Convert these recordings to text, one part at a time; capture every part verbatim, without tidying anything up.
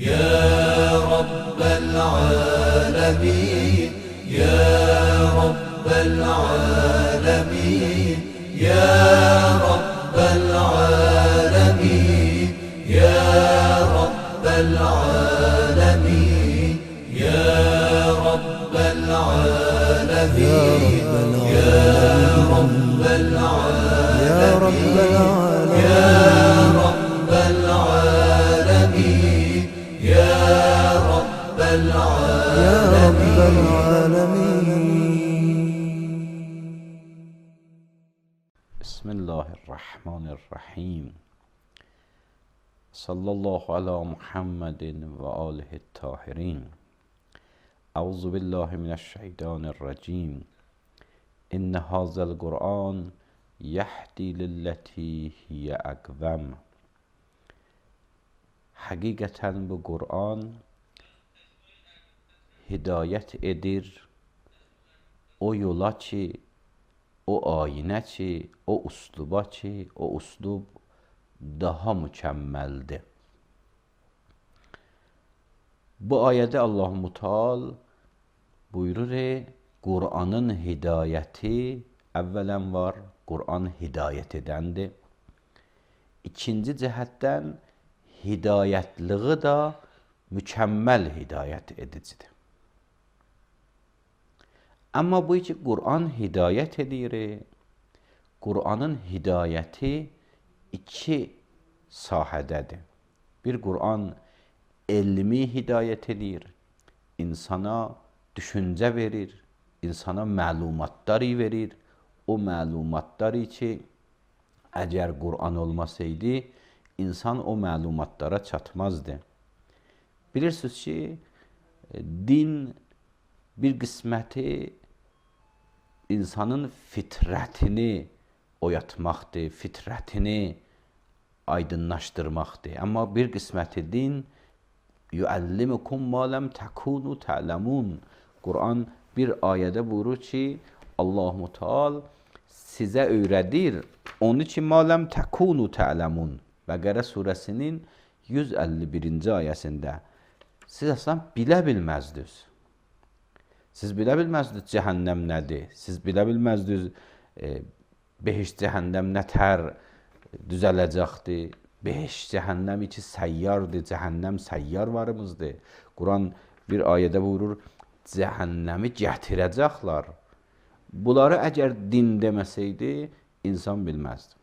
يا رب العالمين يا رب العالمين يا رب العالمين يا رب العالمين يا رب العالمين يا رب العالمين يا رب العالمين يا رب العالمين. بسم الله الرحمن الرحيم. صلى الله على محمد وآله الطاهرين. أعوذ بالله من الشيطان الرجيم. إن هذا القرآن يهدي للتي هي أقوم. Həqiqətən bu Qur'an hidayət edir o yola ki, o ayinə ki, o usluba ki, o uslub daha mükəmməldir. Bu ayədə Allah-u Teala buyurur, Qur'anın hidayəti əvvələn var, Qur'an hidayət edəndir. İkinci cəhətdən hidayətliği da mükəmməl hidayət edicidir. Amma bu ki, Qur'an hidayət edir, Qur'anın hidayəti iki sahədədir. Bir, Qur'an elmi hidayət edir, insana düşüncə verir, insana məlumatları verir. O məlumatları ki, əgər Qur'an olmasaydı, insan o məlumatlara çatmazdı. Bilirsiniz ki, din bir qisməti insanın fitrətini oyatmaqdır, fitrətini aydınlaşdırmaqdır. Amma bir qisməti din yuəllimukum ma ləm təkunu tə'ləmun. Qur'an bir ayədə buyurur ki, Allah-u Teala sizə öyrədir onu ki, ma ləm təkunu tə'ləmun. Bəqərə surəsinin yüz əlli birinci ayəsində siz əslən bilə bilməzdiniz. Siz bilə bilməzdiniz cəhənnəm nədir? Siz bilə bilməzdiniz e, behiş cəhənnəm nə tər düzələcəkdir? Behiş cəhənnəm iki səyyardır, cəhənnəm səyyar varımızdır. Quran bir ayədə buyurur, cəhənnəmi gətirəcəklər. Bunları əgər din deməsəydi, insan bilməzdi.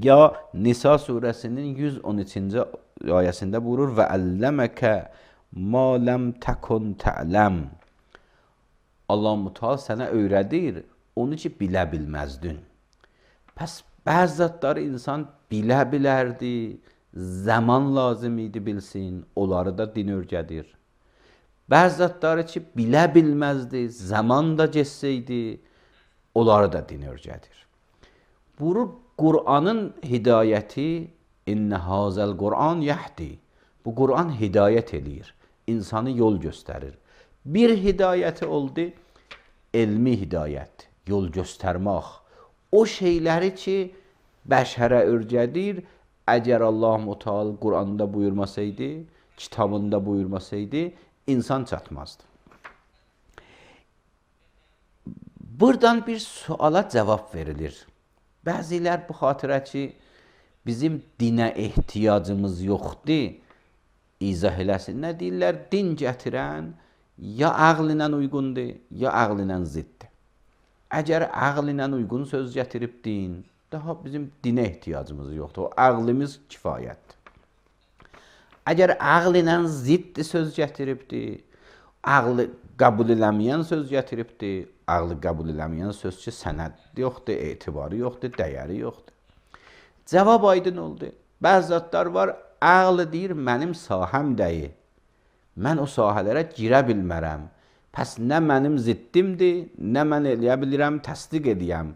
Ya Nisa surəsinin yüz on üçüncü ayəsində buyurur və əlləməkə ma ləm təkun tə'ləm. Allah-u Teala sənə öyrədir onu ki, bilə bilməzdin. Pəs bəzi zatları insan bilə bilərdi, zaman lazım idi bilsin, onları da din öyrədir. Bəzi zatları ki, bilə bilməzdi, zaman da geçsəydi, onları da din öyrədir. Buyurur, Qur'anın hidayəti İnnə hazəl Qur'an yəhdi. Bu Qur'an hidayət edir, insanı yol göstərir. Bir hidayəti oldu, elmi hidayət, yol göstərmək. O şeyləri ki, bəşərə öyrədir, əgər Allah-u Teala Qur'anda buyurmasaydı, kitabında buyurmasaydı, insan çatmazdı. Buradan bir suala cavab verilir. Bəzilər bu xatirə ki, bizim dinə ehtiyacımız yoxdur, izah eləsin. Nə deyirlər? Din gətirən ya ağl ilə uyğundur, ya ağl ilə ziddir. Əgər ağl ilə uyğun söz gətirib din, daha bizim dinə ehtiyacımız yoxdur. O ağlımız kifayətdir. Əgər ağl ilə ziddi söz gətiribdir, ağlı qəbul eləməyən söz gətiribdir, ağlı qəbul eləməyən söz ki, sənəd yoxdur, etibarı yoxdur, dəyəri yoxdur. Cavab aydın oldu. Bəzi zatlar var, ağlı deyir, mənim sahəm deyil. Mən o sahələrə girə bilmərəm. Pəs nə mənim ziddimdir, nə mən eləyə bilirəm, təsdiq edəyəm.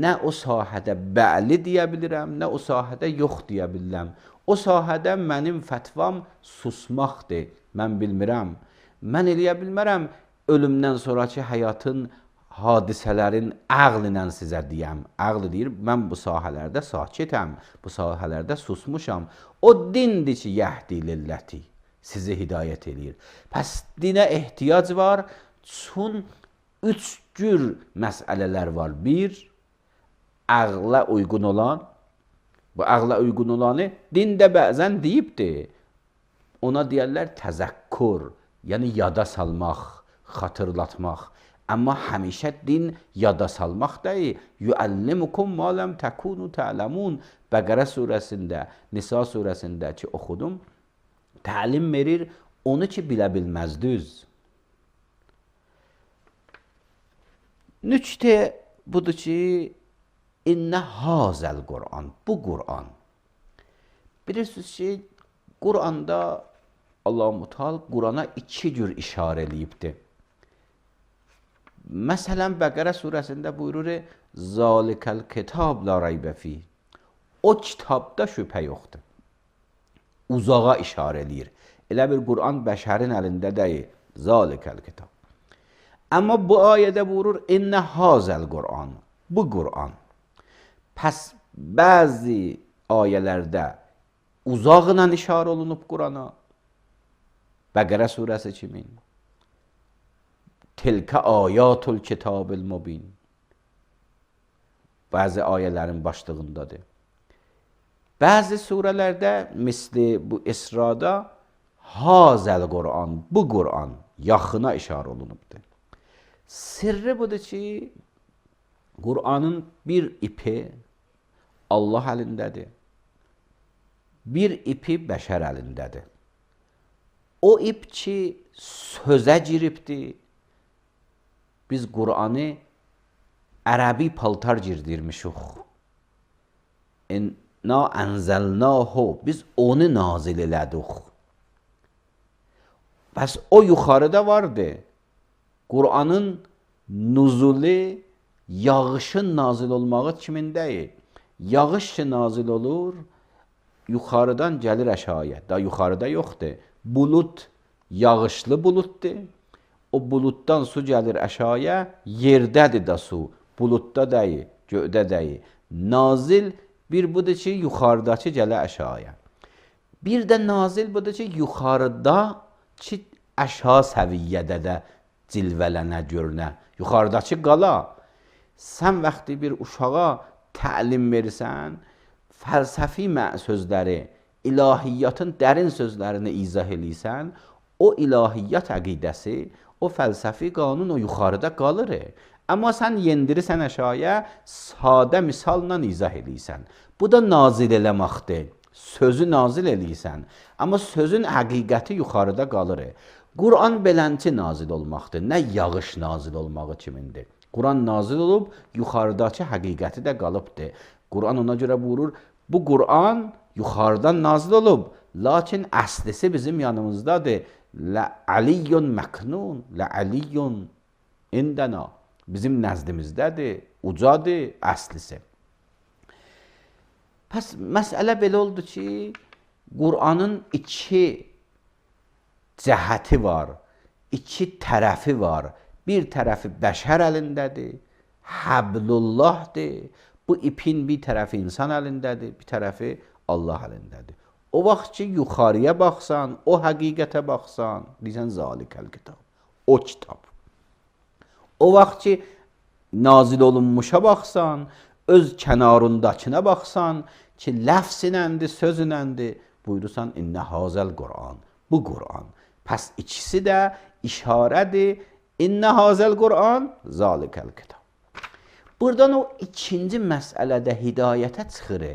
Nə o sahədə bəli deyə bilirəm, nə o sahədə yox deyə bilirəm. O sahədə mənim fətvam susmaqdır, mən bilmirəm. Mən eləyə bilmərəm, ölümdən sonraki həyatın hadisələrin ağl ilə sizə deyəm. Ağl deyir, mən bu sahələrdə sakitəm, bu sahələrdə susmuşam. O dindir ki, yəhdi lilləti. sizi hidayət eləyir. Pəs dinə ehtiyac var, çün üç cür məsələlər var. Bir, ağla uyğun olan, bu ağla uyğun olanı dində bəzən deyibdir. Ona deyərlər təzəkkur, yəni yada salmaq, xatırlatmaq. Amma həmişə din yada salmaq deyil. Yuəllimukum ma lam takunu ta'lamun. Bəqərə surəsində, Nisa surəsində ki oxudum, təlim verir onu ki bilə bilməzdiniz. Nüktə budur ki, İnnə hazəl Qur'an, bu Qur'an. Bilirsiniz ki, Qur'anda Allah-u Teala Qur'ana iki cür işarə eləyibdir. Məsələn, Bəqərə surəsində buyurur, Zalikəl kitab la raybə fih. O kitabda şübhə yoxdur. Uzağa işarə eləyir. Elə bir Qur'an bəşərin əlində deyil. Zalikəl kitab. Amma bu ayədə buyurur, İnnə hazəl Qur'an, bu Qur'an. Pəs bəzi ayələrdə uzaqla işarə olunub Qur'ana. Bəqərə surəsi kimin? Tilkə ayatul kitabil mubin. Bəzi ayələrin başlığındadır. Bəzi surələrdə, misli bu İsrada, hazəl Qur'an, bu Qur'an yaxına işarə olunubdur. Sirri budur ki, Qur'anın bir ipi Allah əlindədir, bir ipi bəşər əlindədir. O ip ki, sözə giribdir, biz Qur'anı ərəbi paltar girdirmişik. İnna ənzəlnahu, biz onu nazil elədik. Bəs o yuxarıda vardı. Qur'anın nuzulu, yağışın nazil olmağı kimin deyil? Yağış ki nazil olur, yuxarıdan gəlir aşağıya. Da yuxarıda yoxdur. Bulut, yağışlı bulutdur. O bulutdan su gəlir aşağıya, yerdədir da su. Bulutda deyil, göydə deyil. Nazil bir budur ki, yuxarıdakı gələ aşağıya. Bir də nazil budur ki, yuxarıda ki, aşağı səviyyədə də cilvələnə, görünə. Yuxarıdakı qala. Sən vaxtı bir uşağa təlim verirsən, fəlsəfi sözləri, ilahiyyatın dərin sözlərini izah eləyirsən, o ilahiyyat əqidəsi, o fəlsəfi qanun o yuxarıda qalır. Amma sən yendirirsən aşağıya, sadə misalla izah eləyirsən. Bu da nazil eləməkdir. Sözü nazil eləyirsən. Amma sözün həqiqəti yuxarıda qalır. Qur'an belənti nazil olmaqdır. Nə yağış nazil olmağı kimindir. Qur'an nazil olub, yuxarıdakı həqiqəti də qalıbdır. Qur'an ona görə buyurur, bu Qur'an yuxarıdan nazil olub, lakin əslisi bizim yanımızdadır. Lə'aliyyun məknun, lə'aliyyun indəna. Bizim nəzdimizdədir, ucadır, əslisi. Pəs, məsələ belə oldu ki, Qur'anın iki cəhəti var, iki tərəfi var. Bir tərəfi bəşər əlindədir, Həblullahdır. Bu ipin bir tərəfi insan əlindədir, bir tərəfi Allah əlindədir. O vaxt ki, yuxarıya baxsan, o həqiqətə baxsan, deysən, zalikəl kitab, o kitab. O vaxt ki, nazil olunmuşa baxsan, öz kənarındakına baxsan, ki, ləfsinəndir, sözünəndir, buyurursan, innə hazəl Qur'an, bu Qur'an. Pəs ikisi də işarədir, İnnə hazəl Qur'an, zalikəl kitab. Buradan o ikinci məsələdə hidayətə çıxır.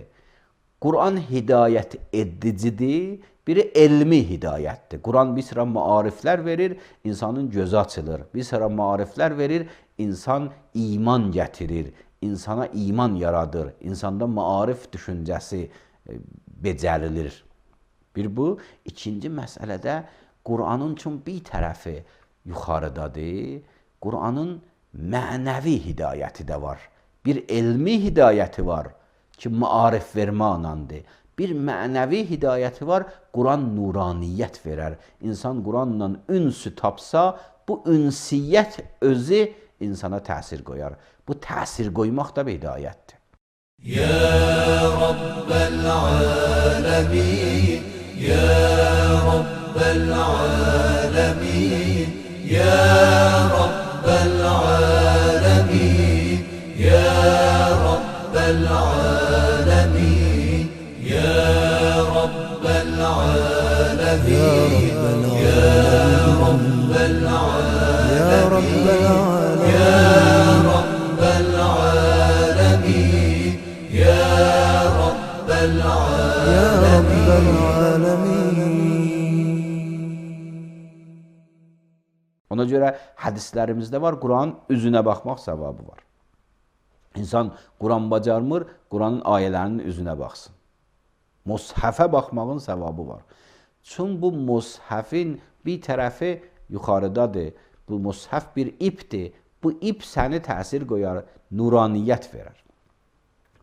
Qur'an hidayət edicidir, biri elmi hidayətdir. Qur'an bir sıra maariflər verir, insanın gözü açılır. Bir sıra maariflər verir, insan iman gətirir, insana iman yaradır, insanda maarif düşüncəsi becərilir. Bir bu, ikinci məsələdə Qur'anın üçün bir tərəfi yuxarıdadır. Qur'anın mənəvi hidayəti də var. Bir elmi hidayəti var ki, maarif vermə anandır. Bir mənəvi hidayəti var, Qur'an nuraniyyət verər. İnsan Qur'anla ünsü tapsa, bu ünsiyyət özü insana təsir qoyar. Bu təsir qoymaq da bir hidayətdir. Ya Rabbel alemin, Ya Rabbel رب العالمين يا رب العالمين يا رب العالمين يا رب العالمين يا رب العالمين. Ona görə hədislərimizdə var, Quran üzünə baxmaq savabı var. İnsan Quran bacarmır, Quranın ayələrinin üzünə baxsın. Mushafə baxmağın savabı var. Çünki bu mushafin bir tərəfi yuxarıdadır. Bu mushaf bir ipdir. Bu ip səni təsir qoyar, nuraniyyət verər.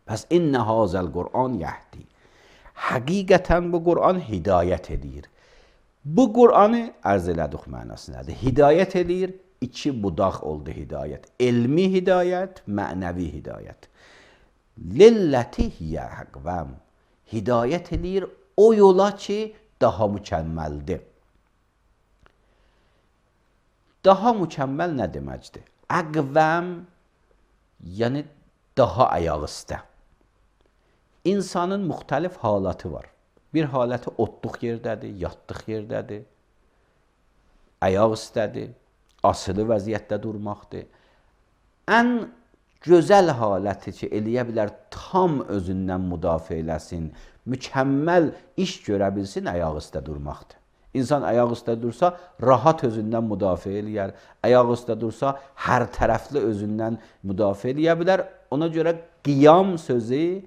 Pəs innə hazəl Qur'an yəhdi. Həqiqətən bu Qur'an hidayət edir. Bu Qur'anı ərz elədik mənasındadır. Hidayət edir, iki budaq oldu hidayət. Elmi hidayət, mənəvi hidayət. Lilləti hiyə həqvəm. Hidayət edir o yola ki, daha mükəmməldir. Daha mükəmməl nə deməkdir? Əqvəm, yəni daha ayaq üstə. İnsanın müxtəlif halatı var. Bir haləti otluq yerdədir, yatlıq yerdədir, ayaq üstədir, asılı vəziyyətdə durmaqdır. Ən gözəl haləti ki, eləyə bilər, tam özündən müdafiə eləsin, mükəmməl iş görə bilsin, ayaq üstə durmaqdır. İnsan ayaq üstə dursa, rahat özündən müdafiə eləyər. Ayaq üstə dursa, hər tərəfli özündən müdafiə eləyə bilər. Ona görə qiyam sözü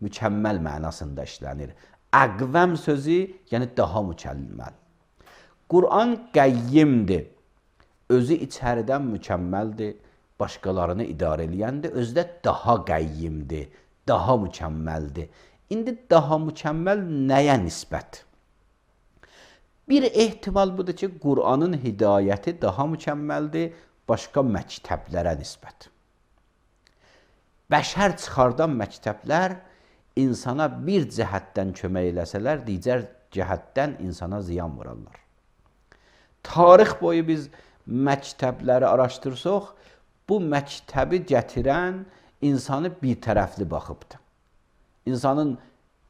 mükəmməl mənasında işlənir. Əqvəm sözü, yəni daha mükəmməl. Quran qəyyimdir. Özü içəridən mükəmməldir. Başqalarını idarə eləyəndir. Özü də daha qəyyimdir. Daha mükəmməldir. İndi daha mükəmməl nəyə nisbət? Bir ehtimal budur ki, Qur'anın hidayəti daha mükəmməldir, başqa məktəblərə nisbət. Bəşər çıxardan məktəblər insana bir cəhətdən kömək eləsələr, digər cəhətdən insana ziyan vurarlar. Tarix boyu biz məktəbləri araşdırsaq, bu məktəbi gətirən insanı bir tərəfli baxıbdır. İnsanın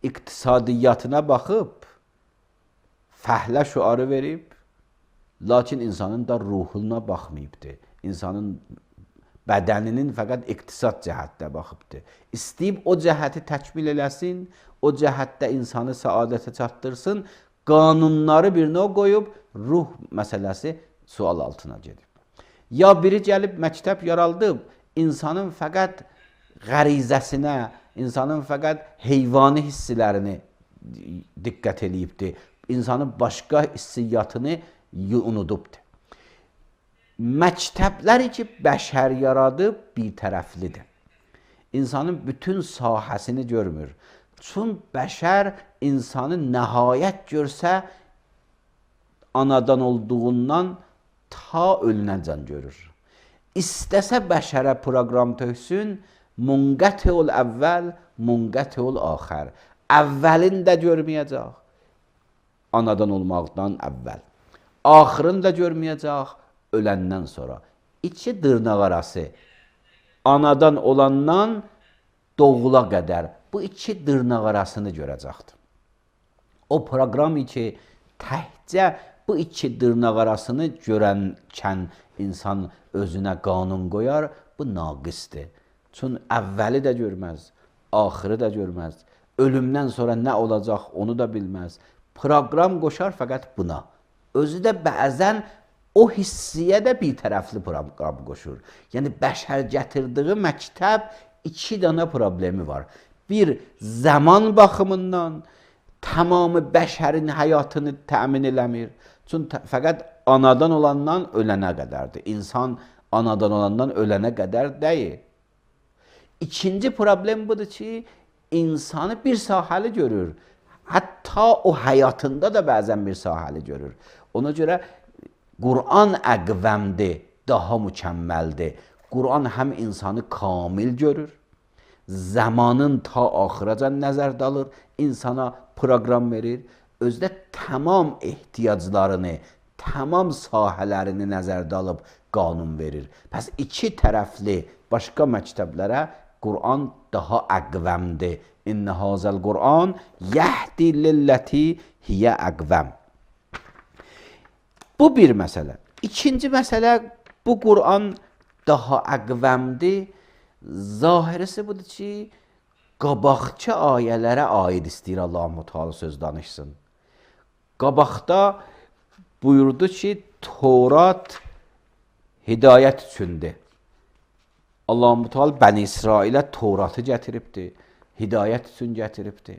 iqtisadiyyatına baxıb, fəhlə şüarı verib, lakin insanın da ruhuna baxmayıbdır. İnsanın bədəninin fəqət iqtisad cəhətdə baxıbdır. İstəyib o cəhəti təkmil eləsin, o cəhətdə insanı səadətə çatdırsın, qanunları birinə qoyub, ruh məsələsi sual altına gedib. Ya biri gəlib məktəb yaraldıb, insanın fəqət qərizəsinə, insanın fəqət heyvani hissilərini diqqət eləyibdir. İnsanın başqa hissiyyatını unudubdur. Məktəbləri ki, bəşər yaradıb bir tərəflidir. İnsanın bütün sahəsini görmür. Çünki bəşər insanı nəhayət görsə, anadan olduğundan ta ölünəcən görür. İstəsə bəşərə proqram töksün, munqətiul əvvəl, munqətiul axər. Əvvəlin də görməyəcək, anadan olmaqdan əvvəl. Axırını da görməyəcək, öləndən sonra. İki dırnaq arası, anadan olandan doğula qədər bu iki dırnaq arasını görəcəkdir. O proqram ki, təhcə bu iki dırnaq arasını görənkən insan özünə qanun qoyar, bu naqisdir. Çünki əvvəli də görməz, axırı da görməz. Ölümdən sonra nə olacaq onu da bilməz. Proqram qoşar fəqət buna. Özü də bəzən o hissiyə də bir tərəfli proqram qoşur. Yəni, bəşər gətirdiyi məktəb iki dənə problemi var. Bir, zaman baxımından tamamı bəşərin həyatını təmin eləmir. Çünki fəqət anadan olandan ölənə qədərdir. İnsan anadan olandan ölənə qədər deyil. İkinci problem budur ki, insanı bir sahəli görür. Hətta o həyatında da bəzən bir sahəli görür. Ona görə Qur'an əqvəmdir, daha mükəmməldir. Qur'an həm insanı kamil görür, zamanın ta axıracan nəzərdə alır, insana proqram verir, özdə tamam ehtiyaclarını, tamam sahələrini nəzərdə alıb qanun verir. Pəs iki tərəfli başqa məktəblərə Qur'an daha əqvəmdir. İnnə hazəl Qur'an yəhdi lilləti hiyə əqvəm. Bu bir məsələ. İkinci məsələ, bu Qur'an daha əqvəmdir. Zahirisi budur ki, qabaqçı ayələrə aid istəyir Allah-u Teala söz danışsın. Qabaqda buyurdu ki, Torat hidayət üçündür. Allah-u Teala Bəni İsrailə Toratı gətiribdir, hidayət üçün gətiribdir.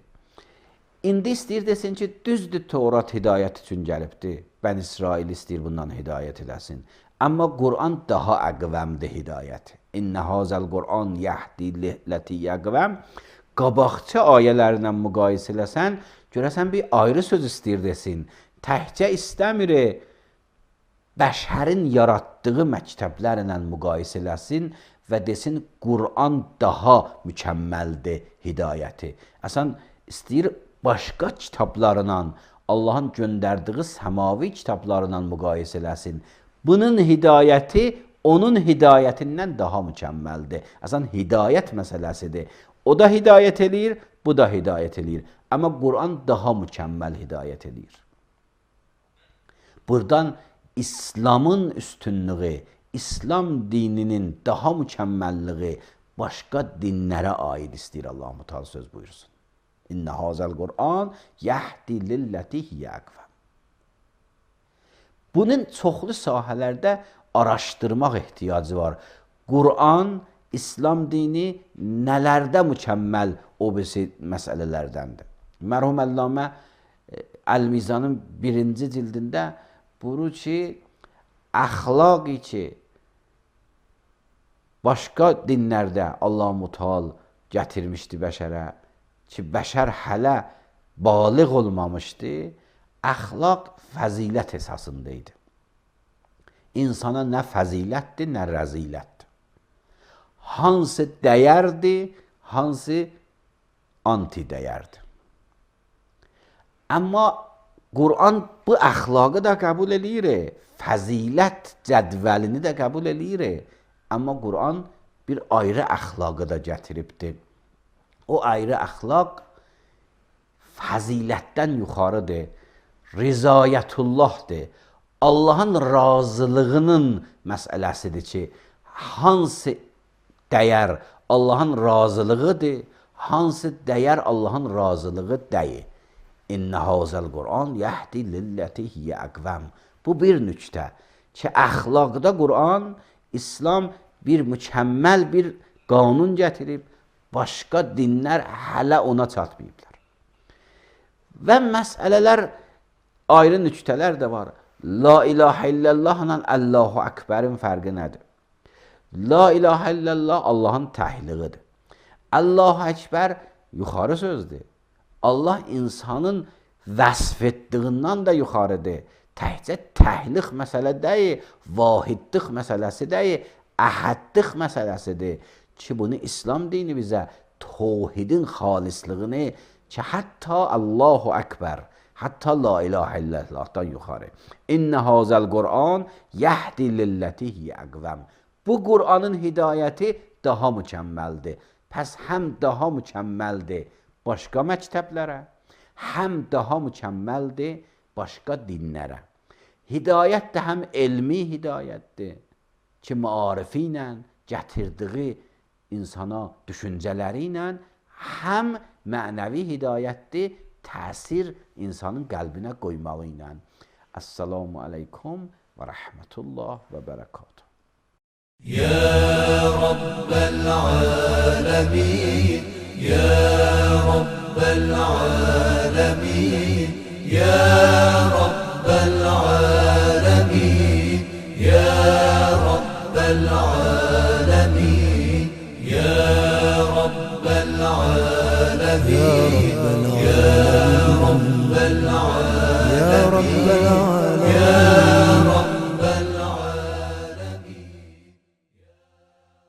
İndi istəyir desin ki, düzdür Torat hidayət üçün gəlibdir. Bəni İsrail istəyir bundan hidayət eləsin. Amma Qur'an daha əqvəmdir hidayəti. İnnə hazəl Qur'an yəhdi ləti yəqvəm. Qabaqçı ayələrlə müqayisə eləsən, görəsən bir ayrı söz istəyir desin. Təhcə istəmir, bəşərin yaratdığı məktəblərlə müqayisə eləsin və desin, Qur'an daha mükəmməldir hidayəti. Əsən istəyir, başqa kitablarla, Allahın göndərdiyi səmavi kitablarla müqayisə eləsin. Bunun hidayəti onun hidayətindən daha mükəmməldir. Əsən hidayət məsələsidir. O da hidayət eləyir, bu da hidayət eləyir. Amma Qur'an daha mükəmməl hidayət eləyir. Buradan İslamın üstünlüğü, İslam dininin daha mükəmməlliği başqa dinlərə aid istəyir Allah-u Teala söz buyursun. İnnə hazəl Qur'an yəhdi lilləti yəqvəm. Bunun çoxlu sahələrdə araşdırmaq ehtiyacı var. Qur'an, İslam dini nələrdə mükəmməl o birisi məsələlərdəndir. Mərhum Əllamə Əl-Mizanın birinci cildində buyurur ki, əxlaq ki, başqa dinlərdə Allah-u Teala gətirmişdi bəşərə, ki, bəşər hələ baliq olmamışdı, əxlaq fəzilət əsasındaydı. İnsana nə fəzilətdir, nə rəzilətdir. Hansı dəyərdir, hansı anti-dəyərdir. Amma Qur'an bu əxlaqı da qəbul eləyir, fəzilət cədvəlini də qəbul eləyir. Amma Qur'an bir ayrı əxlaqı da gətiribdir. O ayrı əxlaq fəzilətdən yuxarıdır, rizayətullahdır. Allahın razılığının məsələsidir ki, hansı dəyər Allahın razılığıdır, hansı dəyər Allahın razılığı deyil. İnnə hazəl Qur'an yəhdi lilləti hiyə əqvəm. Bu bir nüktə ki, əxlaqda Qur'an, İslam bir mükəmməl bir qanun gətirib, başqa dinlər hələ ona çatmayıblar. Və məsələlər, ayrı nüktələr də var. La ilahə illallahla Allahu Akbərin fərqi nədir? La ilahə illallah Allahın təhliğidir. Allahu Akbər yuxarı sözdür. Allah insanın vəsf etdiğindən də yuxarıdır. Təhcə təhliq məsələ deyil, vahidlik məsələsi deyil, əhədlik məsələsidir. Ki, bunu İslam dini bizə tevhidin xalislığını, ki, hətta Allahu Akbar, hətta la ilahə illallahdan yuxarı. İnnə hazəl Qur'an yəhdi lilləti hiyə əqvəm. Bu Qur'anın hidayəti daha mükəmməldir. Pəs həm daha mükəmməldir başqa məktəblərə, həm daha mükəmməldir başqa dinlərə. Hidayət də həm elmi hidayətdir ki, maarifi ilə gətirdiyi insana düşüncələri ilə, həm mənəvi hidayətdir, təsir insanın qəlbinə qoymağı ilə. Əssalamu aleykum və rəhmətullah və bərəkatuhu. يا رب العالمين يا رب العالمين يا رب العالمين يا رب العالمين يا رب العالمين